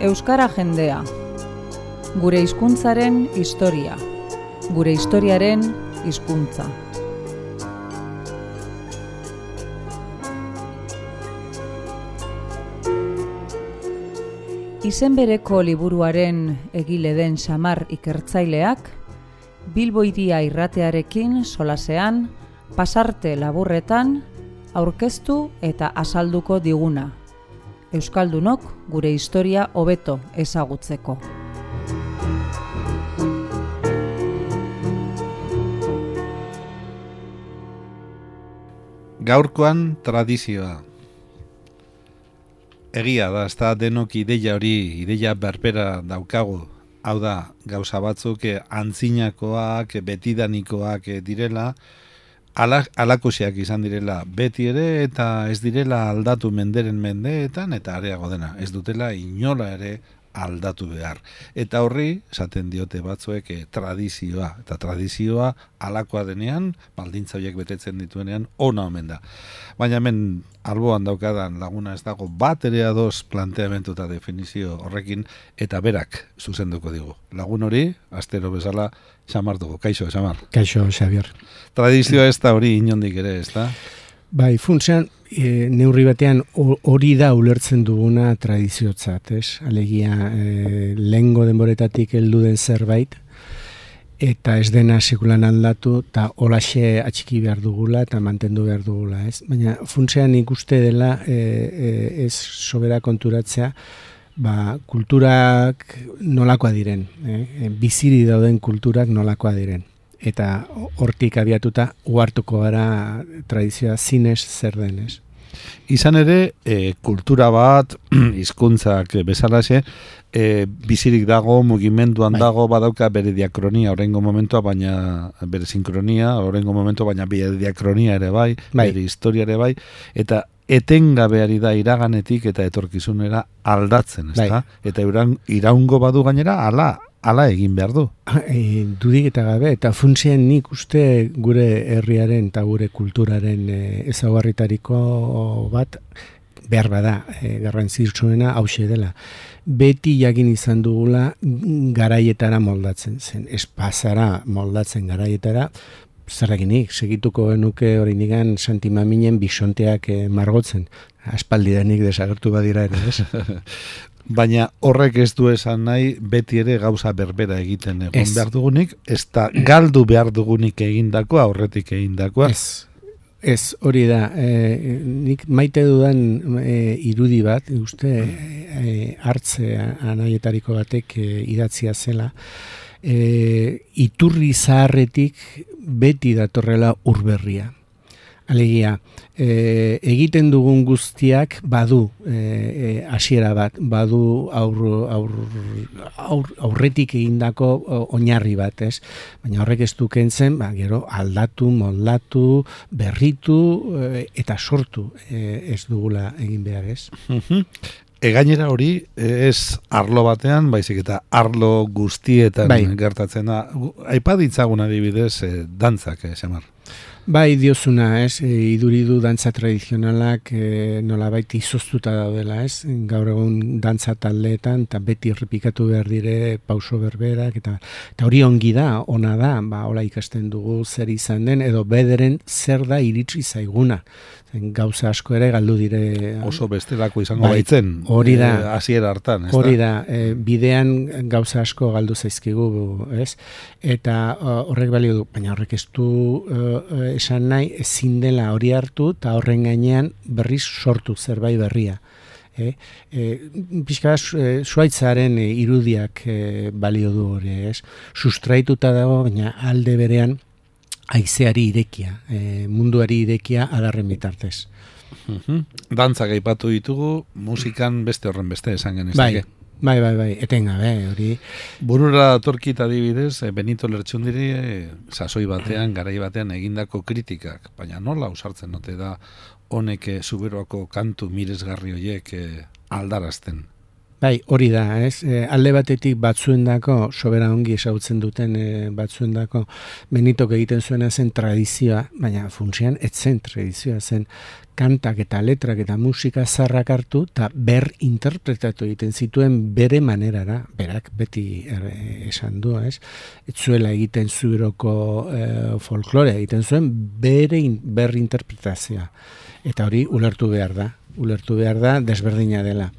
Euskara jendea. Gure hizkuntzaren historia. Gure historiaren hizkuntza. Izen bereko liburuaren egile den Xamar ikertzaileak, Bilbo Hiria irratearekin solasean, pasarte laburretan, aurkeztu eta azalduko diguna. Euskaldunok gure historia hobeto ezagutzeko. Gaurkoan tradizioa. Egia da, ez da denok ideia berbera daukagu. Hau da, gauza batzuk antzinakoak, betidanikoak direla, alakusiak izan direla beti ere, eta ez direla aldatu menderen mendeetan, eta areago dena, ez dutela inola ere aldatu behar. Eta horri, esaten diote batzuek tradizioa, eta tradizioa alakoa denean, baldintza horiek betetzen dituenean, ona omen da. Baina hemen alboan daukadan laguna ez dago bat ere ados planteamentu eta definizio horrekin, eta berak zuzenduko digu. Lagun hori, astero bezala, Xamar dugu. Kaixo, Xamar. Kaixo, Xabier. Tradizioa ez da hori inondik ere, ez da? Bai, funtsean, neurri batean hori da ulertzen duguna tradiziotzat, ez? Alegia, lehengo denboretatik heldu den zerbait, eta ez dena sekulan aldatu, eta holaxe atxiki behar dugula, eta mantendu behar dugula, ez? Baina funtsean ikuste dela, ez sobera konturatzea, kulturak nolakoa diren, biziri dauden kulturak nolakoa diren. Eta hortik abiatuta uhartuko gara tradizioa zinez zer denez. Izan ere, kultura bat, hizkuntzak bezalaxe, bizirik dago, mugimenduan dago, badauka bere diakronia, horrengo momentua, baina bere sinkronia, horrengo momentua, baina bere diakronia ere bai, bere historia ere bai, eta etengabeari da iraganetik eta etorkizunera aldatzen, ezta? Eta iraungo badu gainera, ala egin behar du. Dudik eta gabe, eta funtsien nik uste gure herriaren eta gure kulturaren ezaugarritariko bat behar bada, garrantzitsuena hauxe dela. Beti jakin izan dugula garaietara moldatzen zen, espazara moldatzen garaietara, zerrakinik, segituko genuke hori nigan Santi Maminen bisonteak margotzen. Aspaldidanik desagertu badira ere, ez? Baina horrek ez du esan nahi beti ere gauza berbera egiten egon behar dugunik, ez da galdu behar dugunik egindakoa, horretik egindakoa. Ez, hori da. Nik maite dudan irudi bat, uste hartze anaietariko batek idatzia zela, iturri zaharretik beti datorrela urberria. Alegia, egiten dugun guztiak badu hasiera bat, badu aurretik egindako oinarri bat, ez? Baina horrek ez du kentzen, gero aldatu, moldatu, berritu eta sortu ez dugula egin behar, ez? Gainera hori ez arlo batean, baizik eta arlo guztietan gertatzen da. Aipa ditzagun adibidez dantzak, Xamar. Bai, diozuna, ez, iduridu dantza tradizionalak nolabait izoztuta daudela, ez, gaur egun dantza taldeetan, eta beti errepikatu behar dire pauso berberak, eta hori ongi da, ona da, hola ikasten dugu zer izan den, edo bederen zer da iritsi zaiguna. Gauza asko ere galdu dire. Oso bestelako izango baitzen, hori da, hasiera hartan, ez da? Hori da, bidean gauza asko galdu zaizkigu, ez? Eta horrek balio du, baina horrek ez du esan nahi, ezin dela hori hartu, eta horren gainean berriz sortu zerbait berria. Pixka Suaitzaren irudiak balio du hori, ez? Sustraituta dago, baina alde berean haizeari irekia, munduari irekia adarren bitartez. Dantzak aipatu ditugu, musikan beste horren beste esan genezake. Bai, etengabe, hori. Burura datorkit adibidez, Benito Lertxundiri sasoi batean, garai batean egindako kritikak, baina nola ausartzen ote da honek Zuberoako kantu miresgarri horiek aldarazten? Bai, hori da, ez? Alde batetik batzuendako, sobera ongi esagutzen duten batzuendako, Benitok egiten zuena zen tradizioa, baina funtsian ez zen tradizioa, zen kantak eta letrak eta musika zarrak hartu, eta interpretatu egiten zituen bere manerara, berak beti esan du, ez? Ez zuela egiten zueroko folklorea egiten zuen ber interpretazioa. Eta hori ulertu behar da, desberdina dela.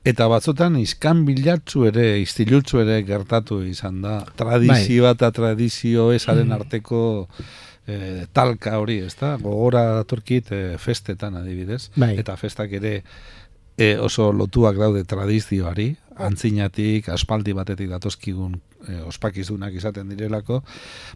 Eta batzutan iskanbilatzu ere, istilutzu ere gertatu izan da. Tradizioa eta tradizio esaren arteko talka hori, ez da? Gogora datorkit festetan adibidez. Eta festak ere oso lotuak daude tradizioari, antzinatik, aspaldi batetik datozkigun ospakizunak izaten direlako,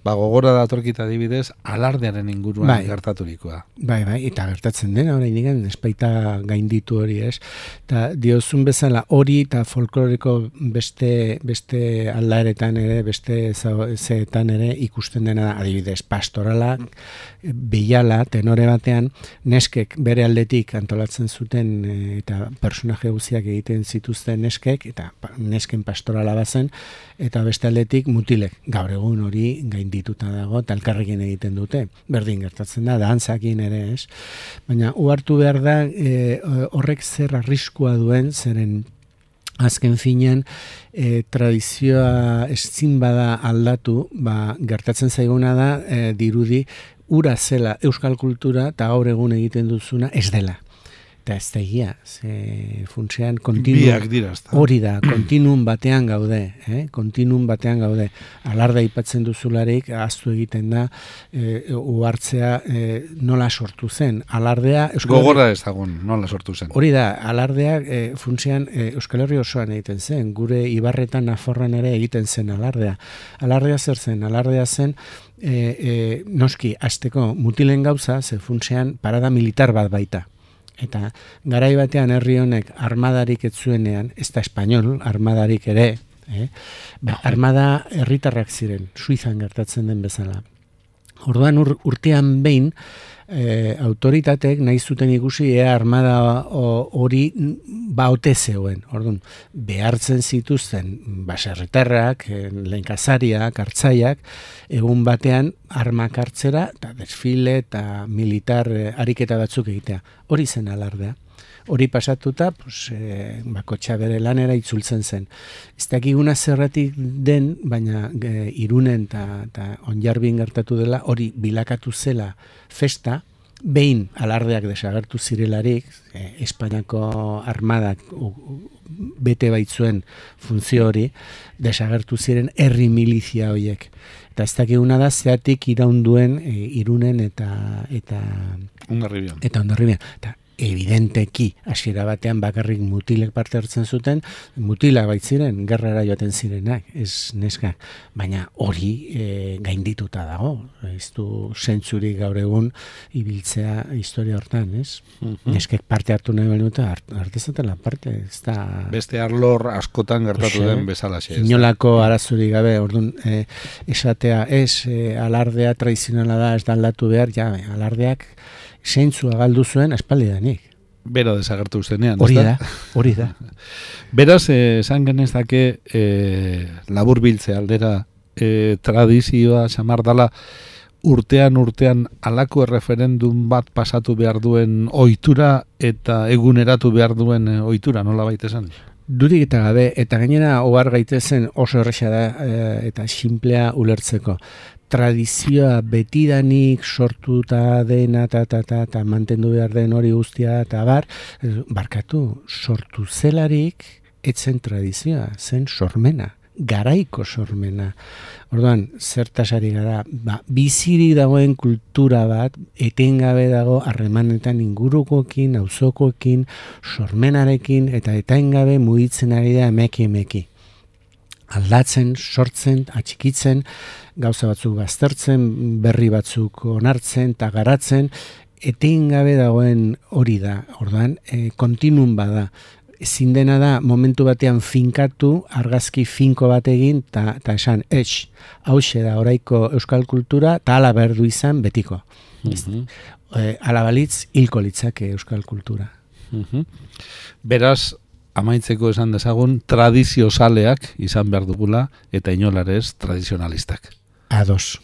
gogora datorkit adibidez, alardearen inguruan gertaturikoa. Bai, eta gertatzen dena, oraindik espaita gainditu hori, ez? Eta diozun bezala hori eta folkloreko beste aldaeretan ere, beste zeetan ere ikusten dena adibidez, pastorala, behiala, tenore batean, neskek bere aldetik antolatzen zuten eta personaje guztiak egiten zituzten neskek, eta nesken pastorala bazen, eta beste aldetik mutilek. Gaur egun hori gaindituta dago, eta elkarrekin egiten dute. Berdin gertatzen da, dantzakin ere, ez? Baina, uhartu behar da, horrek zer arriskua duen, zeren azken finean, tradizioa ezin bada aldatu, gertatzen zaiguna da, dirudi, ura zela euskal kultura, eta gaur egun egiten duzuna, ez dela. Eta ez da egia, funtsean hori da, kontinuum batean gaude, alarda aipatzen duzularik, ahaztu egiten da, uhartzea nola sortu zen, alardea... Gogorra ez dagoen, nola sortu zen. Hori da, alardea funtsean Euskal Herri osoan egiten zen, gure Ibarretan Nafarroan ere egiten zen alardea. Alardea zer zen, alardea zen, noski, hasteko mutilen gauza, ze funtsean parada militar bat baita. Eta garai batean herri honek armadarik ez zuenean, ez da espainol, armadarik ere, armada herritarrak ziren, Suizan gertatzen den bezala. Orduan urtean behin, autoritatek nahi zuten ikusi armada hori ote zegoen. Orduan, behartzen zituzten baserritarrak, lehenkazariak, hartzaiak, egun batean armak hartzera, eta desfile eta militar ariketa batzuk egitea. Hori zen alardea. Hori pasatuta, bakotxa bere lanera itzultzen zen. Ez dakiguna zerratik den, baina Irunen eta Onjarbin gertatu dela, hori bilakatu zela festa, behin alardeak desagertu zirelarik, Espainiako armadak bete baitzuen funtzio hori, desagertu ziren herri milizia horiek. Eta ez dakiguna da, zeatik iraunduen Irunen eta Hondarribian. Eta evidenteki, hasiera batean bakarrik mutilek parte hartzen zuten, mutilak baitziren, gerrara joaten zirenak, ez neskak, baina hori gaindituta dago, ez du zentzurik gaur egun ibiltzea historia hortan, ez? Neskek parte hartu nahi baluta, hartezatela parte, ez da... Beste arlor askotan gertatu den bezalaxe. Inolako arazurik gabe, orduan, esatea, alardea tradizionala da, ez da aldatu behar, alardeak zeintzua galdu zuen aspaldidanik. Bera desagertu zenean. Hori da. Beraz, esan genezake laburbiltze aldera tradizioa xamar dala urtean alako erreferendum bat pasatu behar duen ohitura eta eguneratu behar duen ohitura, nola baita esan? Dudik eta gabe, eta gainera ohar gaitezen oso erresa da eta sinplea ulertzeko. Tradizioa betidanik sortuta dena eta mantendu behar den hori guztia eta barkatu, sortu zelarik etzen tradizioa, zen sormena, garaiko sormena. Orduan, zertasari gara, biziri dagoen kultura bat, etengabe dago harremanetan ingurukoekin, auzokoekin, sormenarekin, eta etengabe mugitzen ari da emeki. Aldatzen, sortzen, atxikitzen, gauza batzuk baztertzen, berri batzuk onartzen eta garatzen, etengabe dagoen hori da. Orduan, kontinuum bada. Ezin dena da, momentu batean finkatu, argazki finko bat egin, eta esan, hauxe da oraiko euskal kultura, eta ala berdu izan betiko. Ala balitz, hilko litzake euskal kultura. Beraz, amaitzeko esan dezagun tradiziozaleak izan behar dugula eta inolarez tradizionalistak. Ados.